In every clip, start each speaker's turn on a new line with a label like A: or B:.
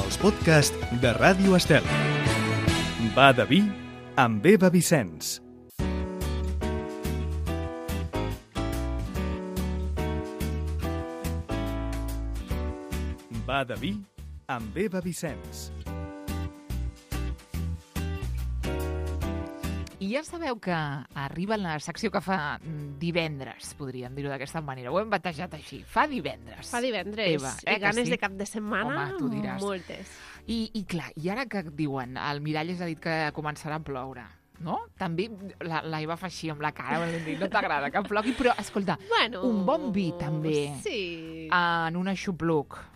A: els podcasts de Ràdio Estel. Va de vi amb Eva Vicenç. Va de vi amb Eva Vicenç.
B: I ja sabeu que arriba la secció que fa divendres, podríem dir-ho d'aquesta manera. Ho hem batejat així. Fa divendres.
C: Fa divendres.
B: Eva,
C: I ganes
B: sí?
C: de cap de setmana,
B: home, tu diràs.
C: moltes.
B: I clar, i ara que diuen, el Miralles ha dit que començarà a ploure, no? També la Eva fa així amb la cara, no t'agrada que plogui, però escolta,
C: Bueno,
B: un bon vi també
C: sí.
B: en un aixopluc.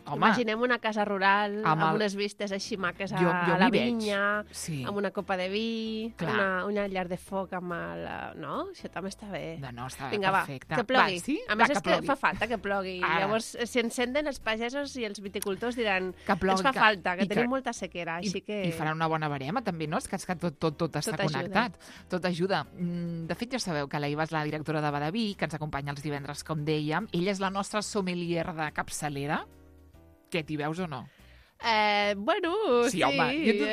B: Home,
C: Imaginem una casa rural amb unes vistes així maques a la vinya,
B: sí.
C: amb una copa de vi,
B: Clar.
C: una llar de foc amb el... No? Això també està bé.
B: No, està
C: Vinga,
B: perfecte.
C: Va, que plogui.
B: Va, sí?
C: A més,
B: Va,
C: és que fa falta que plogui.
B: Ara.
C: Llavors, si encenden els pagesos i els viticultors diran
B: que plogui,
C: ens fa falta, que
B: i
C: tenim molta sequera. Així que...
B: I farà una bona barema, també, no? És que tot està
C: Tot
B: connectat. Tot ajuda. De fet, ja sabeu que la Eva és la directora de Badaví, que ens acompanya els divendres, com dèiem. Ella és la nostra sommelier de capçalera. Què, t'hi veus o no?
C: Bueno, sí.
B: Sí, home,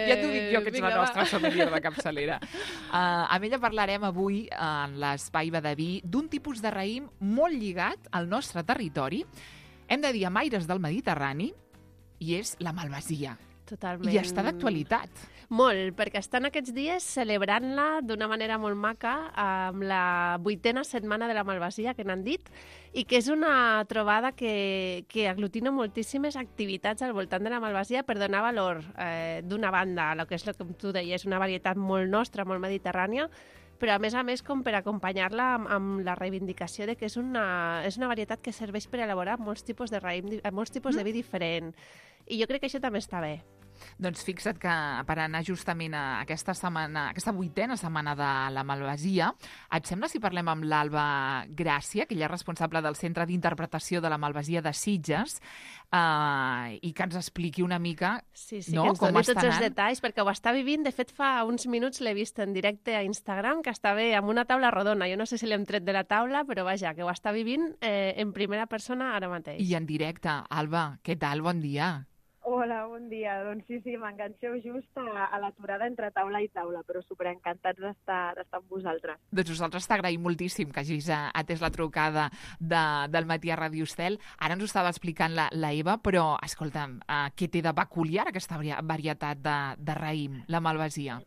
B: ja t'ho dic jo, que ets la nostra sommelier de capçalera. Amb ella parlarem avui, en l'espai Badaví, d'un tipus de raïm molt lligat al nostre territori. Hem de dir amb aires del Mediterrani, i és la malvasia.
C: Totalment.
B: I està d'actualitat.
C: Molt, perquè estan aquests dies celebrant-la d'una manera molt maca amb la 8a setmana de la malvasia, que n'han dit, i que és una trobada que aglutina moltíssimes activitats al voltant de la malvasia per donar valor d'una banda a el que és, com tu deies, una varietat molt nostra, molt mediterrània, però a més com per acompanyar-la amb la reivindicació de que és una varietat que serveix per elaborar molts tipus de raïm, molts tipus de vi diferent. I jo crec que això també està bé.
B: Doncs fixa't que per anar justament a aquesta 8a setmana de la malvasia, et sembla si parlem amb l'Alba Gràcia, que ella és responsable del Centre d'Interpretació de la Malvasia de Sitges, i que ens expliqui una mica
C: sí,
B: no,
C: que ens
B: com
C: doni
B: està
C: tots els
B: anant.
C: detalls, perquè ho està vivint. De fet, fa uns minuts l'he vist en directe a Instagram, que està bé amb una taula rodona. Jo no sé si l'hem tret de la taula, però vaja, que ho està vivint en primera persona ara mateix.
B: I en directe. Alba, què tal? Bon dia.
D: Hola, bon dia. Doncs sí, m'enganxeu just a l'aturada entre taula i taula, però superencantats d'estar amb vosaltres.
B: Doncs nosaltres t'agraïm moltíssim que hagis atès la trucada del matí a Ràdio Estel. Ara ens ho estava explicant la Eva, però, escolta'm, què té de peculiar aquesta varietat de raïm, la malvasia?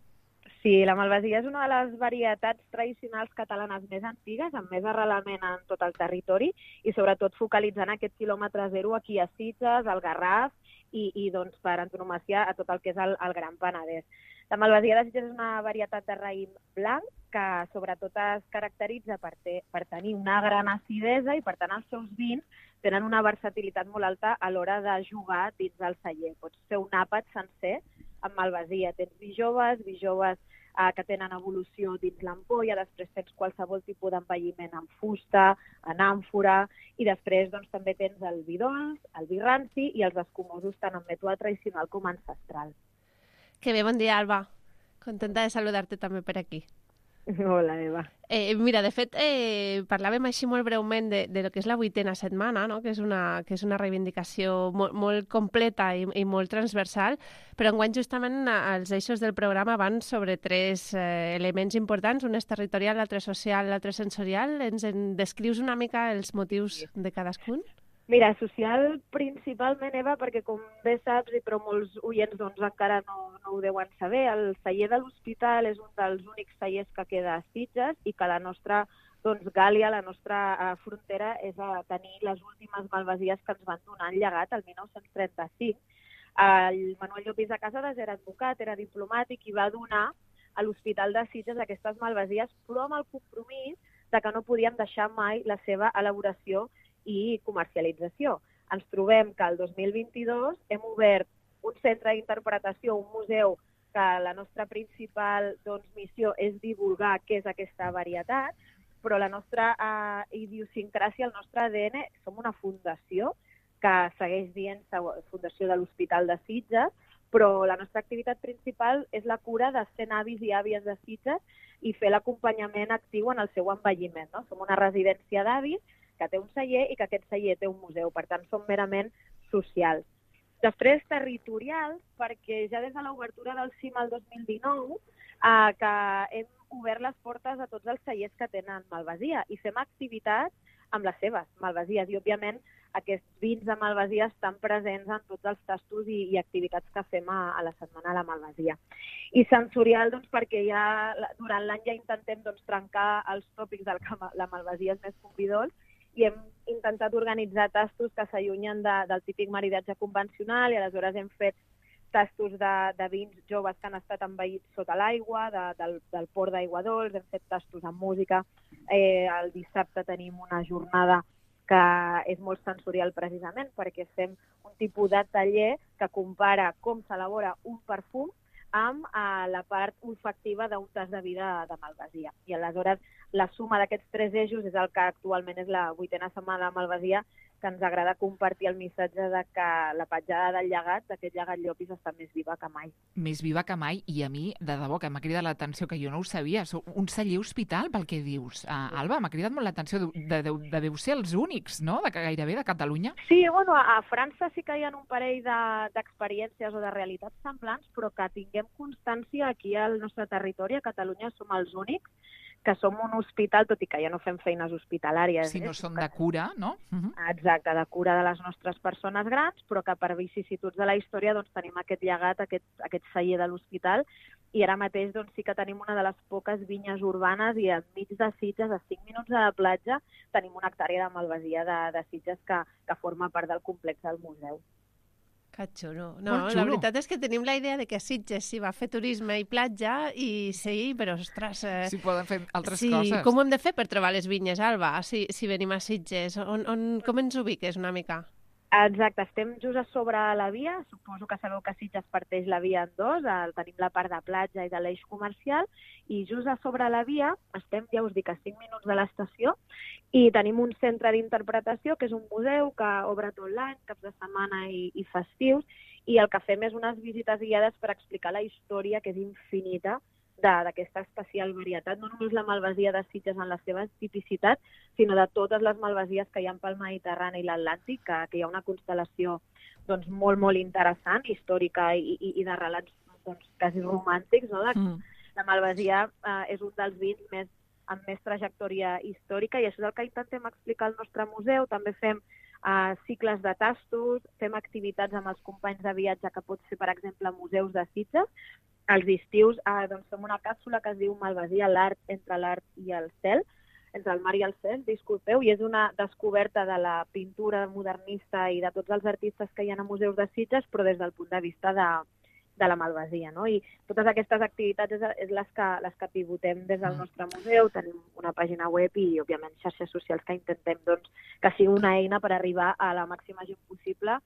D: Sí, la malvasia és una de les varietats tradicionals catalanes més antigues, amb més arrelament en tot el territori i sobretot focalitzant aquest quilòmetre zero aquí a Sitges, al Garraf i doncs, per antonomàsia a tot el que és el Gran Penedès. La malvasia de Sitges és una varietat de raïm blanc que sobretot es caracteritza per tenir una gran acidesa i per tant els seus vins tenen una versatilitat molt alta a l'hora de jugar dins del celler. Pots fer un àpat sencer amb malvasia. Tens vi joves que tenen evolució dins l'ampolla, després tens qualsevol tipus d'envelliment en fusta, en àmfora, i després doncs, també tens el vi dolç, el vi ranci i els escumosos tant en mètode tradicional com ancestral.
C: Que bé, bon dia, Alba. Contenta de saludar-te també per aquí.
D: Hola, Eva.
C: Mira, de fet, parlàvem així molt breument de lo que és la 8a setmana, no? que és una reivindicació molt completa i molt transversal, però enguany justament els eixos del programa van sobre 3 elements importants, un és territorial, l'altre social, l'altre sensorial. Ens en descrius una mica els motius de cadascun?
D: Mira, social principalment, Eva, perquè com bé saps, però molts oients doncs, encara no ho deuen saber, el celler de l'Hospital és un dels únics cellers que queda a Sitges i que la nostra Gàlia, la nostra frontera, és a tenir les últimes malvasies que ens van donar en llegat el 1935. El Manuel Llopis de Casadas era advocat, era diplomàtic i va donar a l'Hospital de Sitges aquestes malvasies, però amb el compromís de que no podíem deixar mai la seva elaboració i comercialització. Ens trobem que el 2022 hem obert un centre d'interpretació, un museu, que la nostra principal missió és divulgar què és aquesta varietat, però la nostra idiosincràsia, el nostre ADN, som una fundació que segueix dient Fundació de l'Hospital de Sitges, però la nostra activitat principal és la cura de 100 avis i àvies de Sitges i fer l'acompanyament actiu en el seu envelliment. No? Som una residència d'avis que té un celler i que aquest celler té un museu. Per tant, som merament socials. Després, territorials, perquè ja des de l'obertura del CIM el 2019 que hem obert les portes a tots els cellers que tenen Malvasia i fem activitats amb les seves Malvasies. I, òbviament, aquests vins de Malvasia estan presents en tots els tastos i activitats que fem a la Setmana de la Malvasia. I sensorial, doncs, perquè ja durant l'any ja intentem trencar els tòpics del que la Malvasia és més convidós i hem intentat organitzar tastos que s'allunyen del típic maridatge convencional i aleshores hem fet tastos de vins joves que han estat envaïts sota l'aigua, del port d'Aigua Dols, hem fet tastos amb música. El dissabte tenim una jornada que és molt sensorial precisament perquè fem un tipus de taller que compara com s'elabora un perfum amb la part olfactiva d'un tas de vi de Malvasia. I aleshores la suma d'aquests 3 eixos és el que actualment és la 8a Setmana de Malvasia, que ens agrada compartir el missatge de que la petjada del llegat, d'aquest llegat Llopis, està més viva que mai.
B: Més viva que mai, i a mi, de debò, que m'ha cridat l'atenció, que jo no ho sabia. Sou un celler hospital, pel que dius. Alba, m'ha cridat molt l'atenció. Deveu ser els únics, no?, gairebé de Catalunya.
D: Sí, bueno, a França sí que hi ha un parell d'experiències o de realitats semblants, però que tinguem constància aquí al nostre territori, a Catalunya, som els únics que som un hospital, tot i que ja no fem feines hospitalàries.
B: Si no són de cura, no?
D: Exacte, de cura de les nostres persones grans, però que per vicissituds de la història tenim aquest llegat, aquest celler de l'hospital, i ara mateix sí que tenim una de les poques vinyes urbanes i enmig de Sitges, a 5 minuts de la platja, tenim una hectàrea de Malvasia de Sitges que forma part del complex del museu.
C: Que xulo. No, la veritat és que tenim la idea de que a Sitges s'hi va fer turisme i platja i sí, però ostres...
B: Sí, poden fer altres coses.
C: Com ho hem de fer per trobar les vinyes, Alba, si venim a Sitges? Com ens ubiques una mica?
D: Exacte, estem just a sobre la via, suposo que sabeu que Sitges parteix la via en dos, tenim la part de platja i de l'eix comercial, i just a sobre la via estem, ja us dic, a 5 minuts de l'estació, i tenim un centre d'interpretació, que és un museu que obre tot l'any, caps de setmana i festius, i el que fem és unes visites guiades per explicar la història, que és infinita, d'aquesta especial varietat, no només la Malvasia de Sitges en la seva tipicitat, sinó de totes les Malvasies que hi ha pel Mediterrani i l'Atlàntic, que hi ha una constel·lació molt, molt interessant, històrica i de relats quasi romàntics. No? La Malvasia és un dels vins amb més trajectòria històrica i això és el que intentem explicar al nostre museu. També fem cicles de tastos, fem activitats amb els companys de viatge que pot ser, per exemple, a museus de Sitges. Els estius fem una càpsula que es diu Malvasia, l'art entre l'art i el cel, entre el mar i el cel, disculpeu, i és una descoberta de la pintura modernista i de tots els artistes que hi ha a museus de Sitges, però des del punt de vista de la Malvasia. No? I totes aquestes activitats és les que pivotem des del nostre museu. Tenim una pàgina web i, òbviament, xarxes socials que intentem que sigui una eina per arribar a la màxima gent possible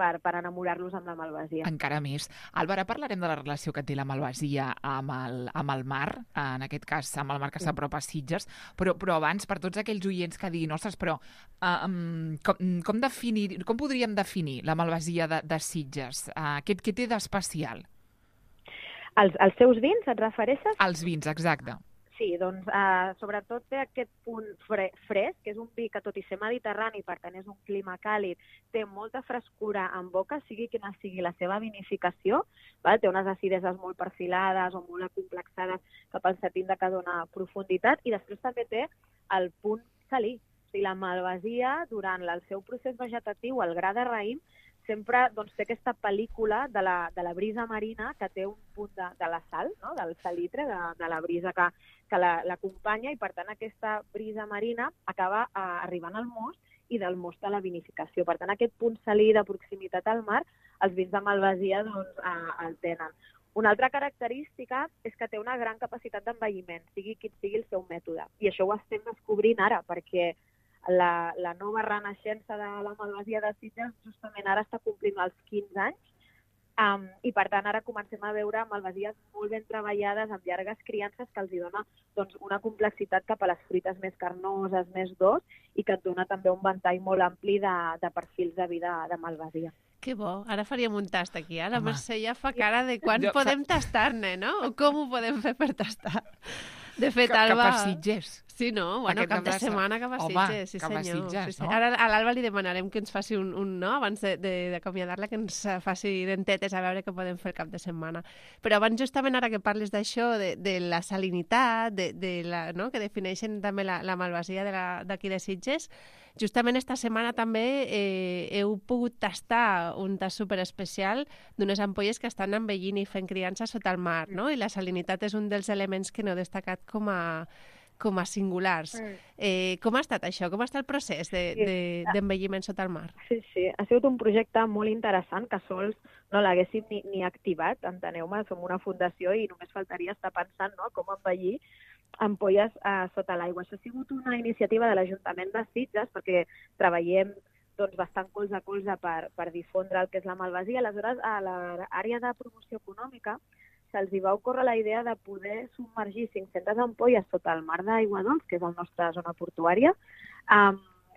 D: per enamorar-los amb la Malvasia.
B: Encara més. Alba, ara parlarem de la relació que té la Malvasia amb el mar, en aquest cas amb el mar que s'apropa a Sitges, però abans, per tots aquells oients que diguin, ostres, però com podríem definir la Malvasia de Sitges? Què té d'especial?
D: Els seus vins, et refereixes?
B: Els vins, exacte.
D: Sí, sobretot té aquest punt fresc, que és un vi que, tot i ser mediterrani, per tant és un clima càlid, té molta frescura en boca, sigui quina sigui la seva vinificació, té unes acideses molt perfilades o molt acomplexades cap al setinda que dona profunditat, i després també té el punt salí. O sigui, la Malvasia, durant el seu procés vegetatiu, el gra de raïm, sempre té aquesta pel·lícula de la brisa marina que té un punt de la sal, no? Del salitre, de la brisa que l'acompanya, i per tant aquesta brisa marina acaba arribant al most i del most a la vinificació. Per tant, aquest punt salí de proximitat al mar, els vins de Malvasia el tenen. Una altra característica és que té una gran capacitat d'envelliment, sigui quin sigui el seu mètode. I això ho estem descobrint ara, perquè la nova renaixença de la Malvasia de Sitges justament ara està complint els 15 anys, i per tant ara comencem a veure Malvasies molt ben treballades amb llargues criances que els dona una complexitat cap a les fruites més carnoses, més d'os, i que et dona també un ventall molt ampli de perfils de vida de Malvasia.
C: Que bo, ara faríem un tast aquí. La Mercè ja fa cara de quan podem tastar-ne, no? O com ho podem fer per tastar. De fet, Alba...
B: Cap a Sitges.
C: Sí, no? Bueno, cap de setmana cap a Sitges, sí
B: cap a
C: senyor.
B: Sitges,
C: sí.
B: no?
C: Ara a l'Alba li demanarem que ens faci un no, abans d'acomiadar-la, que ens faci dentetes a veure què podem fer el cap de setmana. Però abans, justament ara que parles d'això, de la salinitat, no? que defineixen també la malvasia d'aquí de Sitges, justament esta setmana també heu pogut tastar un tast superespecial d'unes ampolles que estan envellint i fent criança sota el mar, no? I la salinitat és un dels elements que n'heu destacat com a singulars. Com ha estat això? Com està el procés d'envelliment sota el mar?
D: Sí. Ha sigut un projecte molt interessant que sols no l'haguéssim ni activat, enteneu-me, som una fundació i només faltaria estar pensant com envellir ampolles sota l'aigua. Això ha sigut una iniciativa de l'Ajuntament de Sitges perquè treballem bastant colze a colze per difondre el que és la malvasia. Aleshores, a l'àrea de promoció econòmica se'ls va ocórrer la idea de poder submergir 500 ampolles sota el mar d'Aigua Dols, que és la nostra zona portuària,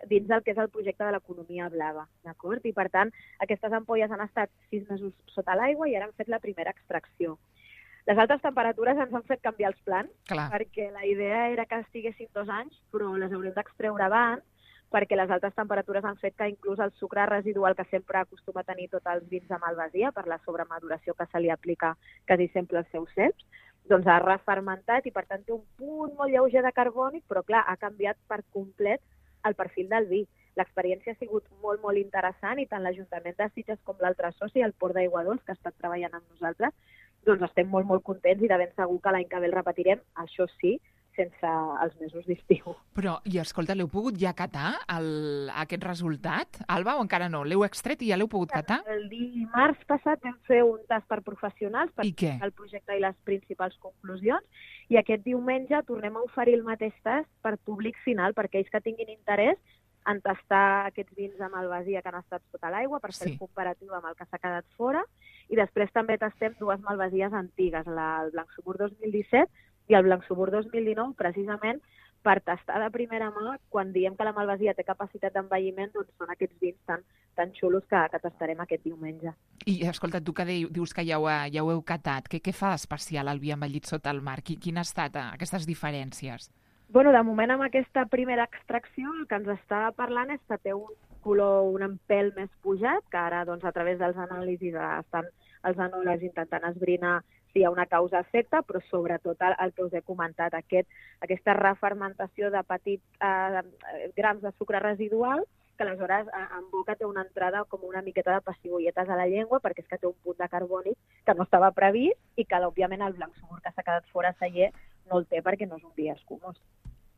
D: dins del que és el projecte de l'economia blava, d'acord? I, per tant, aquestes ampolles han estat 6 mesos sota l'aigua i ara han fet la primera extracció. Les altes temperatures ens han fet canviar els plans, perquè la idea era que estiguessin 2 anys, però les haurem d'extreure abans, perquè les altes temperatures han fet que inclús el sucre residual que sempre acostuma a tenir tots els vins de malvasia, per la sobremaduració que se li aplica quasi sempre als seus ceps, doncs ha refermentat i per tant té un punt molt lleuger de carbònic, però clar, ha canviat per complet el perfil del vi. L'experiència ha sigut molt, molt interessant i tant l'Ajuntament de Sitges com l'altre soci, el Port d'Aigua Dols, que ha estat treballant amb nosaltres, doncs estem molt, molt contents i de ben segur que l'any que ve el repetirem, això sí, sense els mesos d'estiu.
B: Però, i escolta, l'heu pogut ja catar, aquest resultat, Alba, o encara no? L'heu extret i ja l'heu pogut catar?
D: El dimarts passat vam fer un tast per professionals per
B: explicar
D: el projecte i les principals conclusions, i aquest diumenge tornem a oferir el mateix tast per públic final, per aquells que tinguin interès en tastar aquests vins de malvasia que han estat sota l'aigua, per fer el comparatiu amb el que s'ha quedat fora, i després també tastem 2 malvasies antigues, el Blanc Subur 2017 i el Blanc Subur 2019, precisament per tastar de primera mà, quan diem que la malvasia té capacitat d'envelliment, doncs són aquests vins tan xulos que tastarem aquest diumenge.
B: I, escolta, tu que dius que ja ho heu catat, què fa d'especial el vi envellit sota el mar? Quin ha estat aquestes diferències?
D: Bueno, de moment amb aquesta primera extracció el que ens està parlant és que té un color un empèl més pujat, que ara doncs, a través dels anàlisis estan els enòlegs intentant esbrinar si hi ha una causa-efecte, però sobretot el que us he comentat, aquesta refermentació de petits grams de sucre residual, que aleshores en boca té una entrada com una miqueta de pessigolletes a la llengua, perquè és que té un punt de carbònic que no estava previst i que, òbviament, el Blanc Subur que s'ha quedat fora celler no el té perquè no és un vi escumós.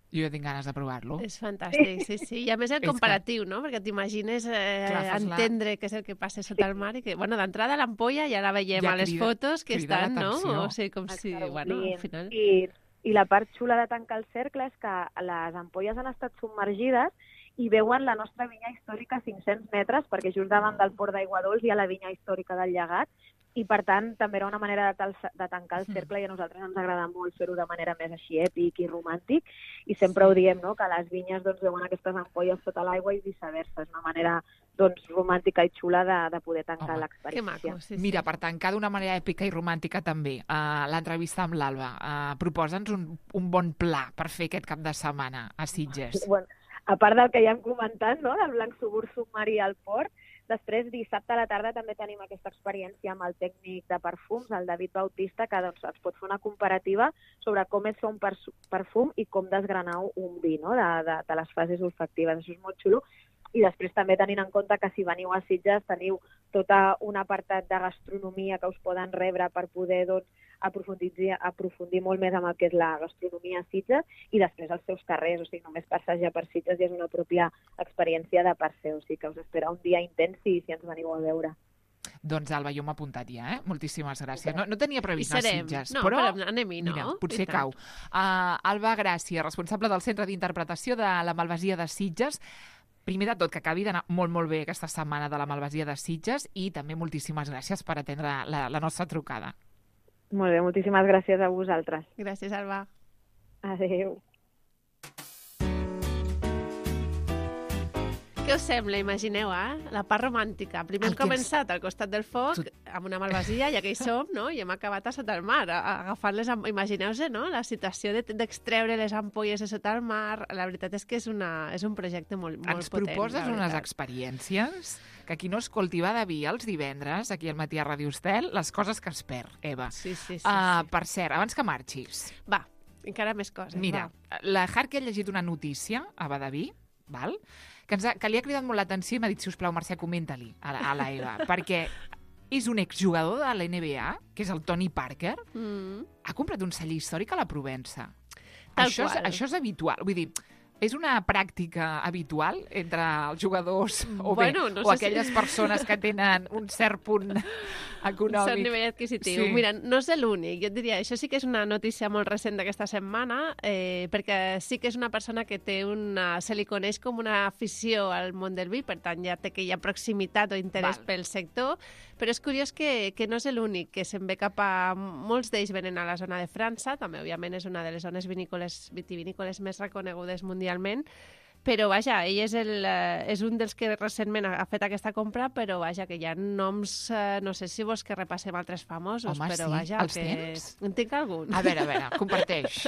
B: Jo ja tinc ganes de provar-lo.
C: És fantàstic, sí. I a més el comparatiu, no? Perquè t'imagines entendre què és el que passa sota el mar i que, bueno, d'entrada l'ampolla ja la veiem a les fotos que estan, no? O sigui, com si, bueno, al final...
D: I la part xula de tancar el cercle és que les ampolles han estat submergides i veuen la nostra vinya històrica a 500 metres, perquè just davant del Port d'Aigua Dols hi ha la vinya històrica del Llegat, i per tant també era una manera de tancar el cercle i a nosaltres ens agrada molt fer-ho de manera més així èpic i romàntic, i sempre ho diem, no?, que les vinyes veuen aquestes ampolles sota l'aigua i viceversa. És una manera romàntica i xula de poder tancar l'experiència.
C: Que maco, sí.
B: Mira, per tancar d'una manera èpica i romàntica també, l'entrevista amb l'Alba, proposa'ns un bon pla per fer aquest cap de setmana a Sitges.
D: Bueno, a part del que ja hem comentat, no?, del Blanc Subur submarí al port, després, dissabte a la tarda, també tenim aquesta experiència amb el tècnic de perfums, el David Bautista, que ens pot fer una comparativa sobre com és fer un perfum i com desgranar un vi, no?, de les fases olfactives. Això és molt xulo. I després també tenint en compte que si veniu a Sitges teniu tot un apartat de gastronomia que us poden rebre per poder aprofundir molt més amb el que és la gastronomia a Sitges i després els seus carrers, o sigui, només passejar per Sitges ja és una pròpia experiència de per ser, o sigui que us espera un dia intens si ens veniu a veure.
B: Doncs, Alba, jo m'he apuntat ja, Moltíssimes gràcies. No tenia previst anar a Sitges,
C: però anem-hi, no?
B: Mira, potser cau. Alba Gràcia, responsable del Centre d'Interpretació de la Malvasia de Sitges. Primer de tot, que acabi d'anar molt, molt bé aquesta setmana de la Malvasia de Sitges i també moltíssimes gràcies per atendre la nostra trucada.
D: Molt bé, moltíssimes gràcies a vosaltres.
C: Gràcies, Alba.
D: Adéu.
C: Què us sembla? Imagineu, la part romàntica. Primer hem començat al costat del foc, amb una malvasia, ja que hi som, no? I hem acabat a sota el mar, agafant les imagineu-vos, no? La situació d'extreure les ampolles de sota el mar. La veritat és que és un projecte molt potent.
B: Ens proposes unes experiències que qui no escolti Va de Vi els divendres, aquí al matí a Ràdio Estel, les coses que es perd, Eva.
C: Sí.
B: Per cert, abans que marxis...
C: Va, encara més coses.
B: Mira, la Harky ha llegit una notícia a Va de Vi, val? Que li ha cridat molt l'atenció i m'ha dit, sisplau, Mercè, comenta-li a la Eva, perquè és un exjugador de la NBA, que és el Tony Parker, ha comprat un celler històric a la Provença. Això és habitual, vull dir, és una pràctica habitual entre els jugadors o aquelles persones que tenen un cert punt econòmic.
C: Un cert nivell adquisitiu. Sí. Mira, no és l'únic. Jo et diria, això sí que és una notícia molt recent d'aquesta setmana, perquè sí que és una persona que se li coneix com una afició al món del vi, per tant ja té aquella proximitat o interès pel sector, però és curiós que no és l'únic, que se'n ve cap a... Molts d'ells venen a la zona de França, també, òbviament, és una de les zones vitivinícoles més reconegudes mundialment, però, vaja, ell és un dels que recentment ha fet aquesta compra, però, vaja, que hi ha noms, no sé si vols que repassem altres famosos,
B: home,
C: però, vaja,
B: els tens?
C: En tinc algun.
B: A veure, comparteix.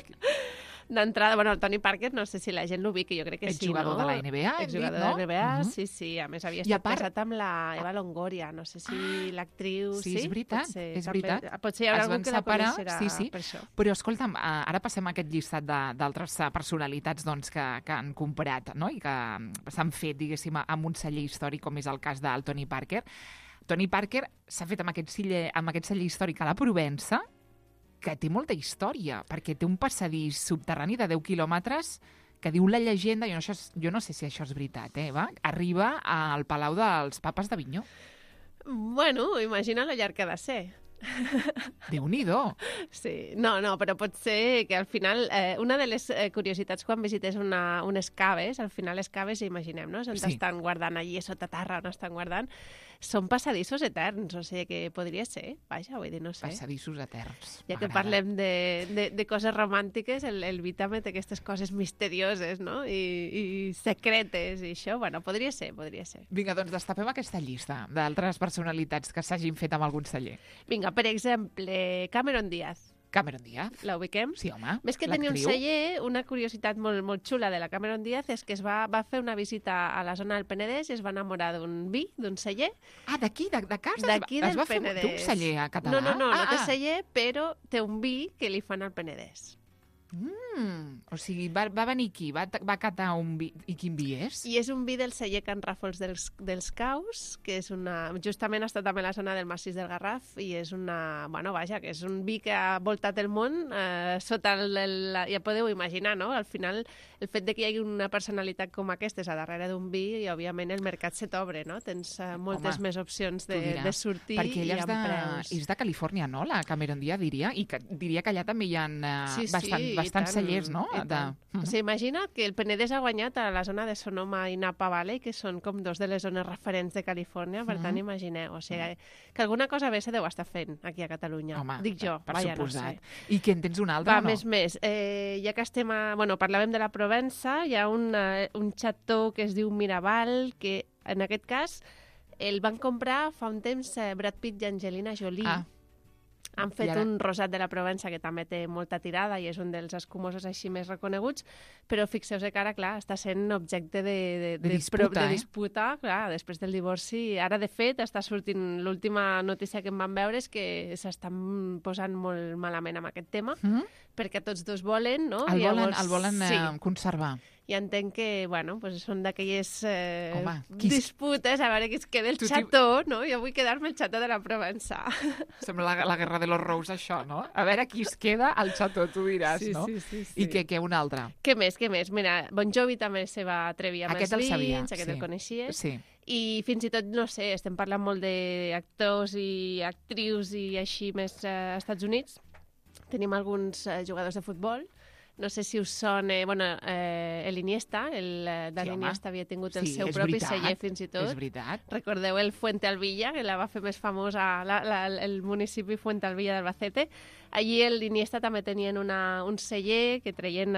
C: D'entrada, bueno, el Tony Parker, no sé si la gent l'ubica, jo crec que sí, no?
B: Exjugador de la NBA, hem dit, no?
C: Exjugador de la NBA, sí. A més, havia estat casat amb la Eva Longoria, no sé si l'actriu...
B: Sí, és veritat, és veritat.
C: Potser hi haurà algú que la coneixerà per això.
B: Però, escolta'm, ara passem a aquest llistat d'altres personalitats doncs, que han comprat, no? I que s'han fet, diguéssim, amb un celler històric, com és el cas del Tony Parker. Tony Parker s'ha fet amb aquest celler històric a la Provença, que té molta història, perquè té un passadís subterrani de 10 quilòmetres que diu la llegenda, jo no sé si això és veritat, Eva, arriba al Palau dels Papes d'Avinyó.
C: Bueno, imagina lo llarg que ha de ser.
B: Déu-n'hi-do.
C: Sí, no, però pot ser que al final, una de les curiositats quan visites unes caves, al final les caves, imaginem, no? On estan guardant allí sota terra, on estan guardant, són passadissos eterns, o sigui que podria ser, vaja, vull dir, no sé.
B: Passadissos eterns.
C: Ja que parlem de coses romàntiques, el vi també té aquestes coses misterioses, no? I secretes i això, bueno, podria ser.
B: Vinga, doncs destapem aquesta llista d'altres personalitats que s'hagin fet amb algun celler.
C: Vinga, per exemple, Cameron Díaz.
B: Cameron Díaz.
C: La ubiquem?
B: Sí, home.
C: Més que tenir un celler, una curiositat molt xula de la Cameron Díaz és que va fer una visita a la zona del Penedès i es va enamorar d'un vi, d'un celler.
B: Ah, d'aquí, de casa?
C: D'aquí del Penedès.
B: Té un celler a català?
C: No té celler, però té un vi que li fan al Penedès.
B: O sigui, va venir aquí, va catar un vi. I quin vi és?
C: I és un vi del celler Can Ràfols dels Caus, que és justament està també a la zona del Massís del Garraf, i és que és un vi que ha voltat el món sota ja podeu imaginar, no? Al final, el fet de que hi hagi una personalitat com aquesta a darrere d'un vi, i òbviament el mercat se t'obre, no? Tens moltes més opcions de sortir i amb preus.
B: És de Califòrnia, no? La Cameron Díaz, diria, i diria que allà també hi ha bastants cellers, no?
C: O sigui, imagina't que el Penedès ha guanyat a la zona de Sonoma i Napa Valley, que són com dos de les zones referents de Califòrnia, per tant, imagineu. O sigui, que alguna cosa bé se deu estar fent aquí a Catalunya.
B: Home,
C: dic jo,
B: per suposat.
C: No sé.
B: I que en tens un altre,
C: no? Més. Ja que estem parlàvem de la Provença, hi ha un xató que es diu Miraval, que en aquest cas el van comprar fa un temps Brad Pitt i Angelina Jolie. Han fet un rosat de la Provença que també té molta tirada i és un dels escumosos així més reconeguts, però fixeu-vos que ara, clar, està sent objecte de disputa, clar, després del divorci. Ara, de fet, està sortint l'última notícia que em van veure és que s'estan posant molt malament amb aquest tema, perquè tots dos volen, no?
B: El volen conservar.
C: I entenc que, són d'aquelles disputes, a veure qui es queda el xató, no? Jo vull quedar-me el xató de la Provença.
B: Sembla la guerra de los Rous, això, no? A veure qui es queda al xató, tu diràs, no?
C: Sí.
B: I què, un altre?
C: Què més? Mira, Bon Jovi també se va atrevir amb els vins, aquest el coneixies.
B: Sí.
C: I fins i tot, no sé, estem parlant molt d'actors i actrius i així més als Estats Units. Tenim alguns jugadors de futbol. No sé si us sona... l'Iniesta, Dani Iniesta havia tingut el seu propi celler fins i tot.
B: És veritat.
C: Recordeu el Fuente Alvilla, que la va fer més famosa el municipi Fuente Alvilla d'Albacete. Allí l'Iniesta també tenien un celler que treien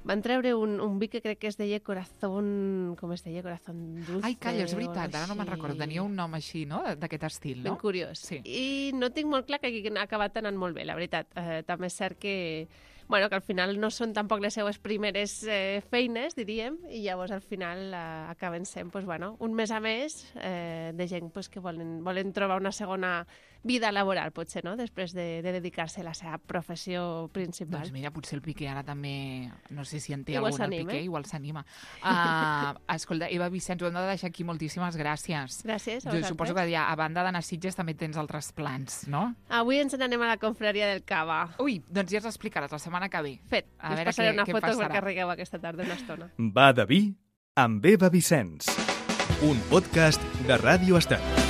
C: Van treure un vi que crec que es deia Corazón... Com es deia? Corazón Dulce.
B: Ai, calla, és veritat, ara no me'n recordo. Tenia un nom així, no?, d'aquest estil, no?
C: Ben curiós.
B: Sí.
C: I no tinc molt clar que hagi acabat anant molt bé, la veritat. També és cert que al final no són tampoc les seues primeres feines, diríem, i llavors al final acaben sent un mes a més de gent que volen trobar una segona vida laboral, potser, no?, després de dedicar-se a la seva professió principal.
B: Doncs mira, potser el Piqué ara també, no sé si en té
C: Igual
B: algun, el Piqué, igual s'anima. Escolta, Eva Vicenç, ho hem de deixar aquí, moltíssimes gràcies.
C: Gràcies a
B: Jo
C: vosaltres.
B: suposo que ja, a banda d'anar a Sitges també tens altres plans, no?
C: Avui ens n'anem a la confraria del Cava.
B: Ui, doncs ja ens explicaràs la setmana que ve.
C: Fet,
B: A
C: us
B: veure
C: passaré una
B: què
C: foto
B: passarà.
C: perquè rigueu aquesta tarda una estona.
A: Va de vi amb Eva Vicenç. Un podcast de Ràdio Estel.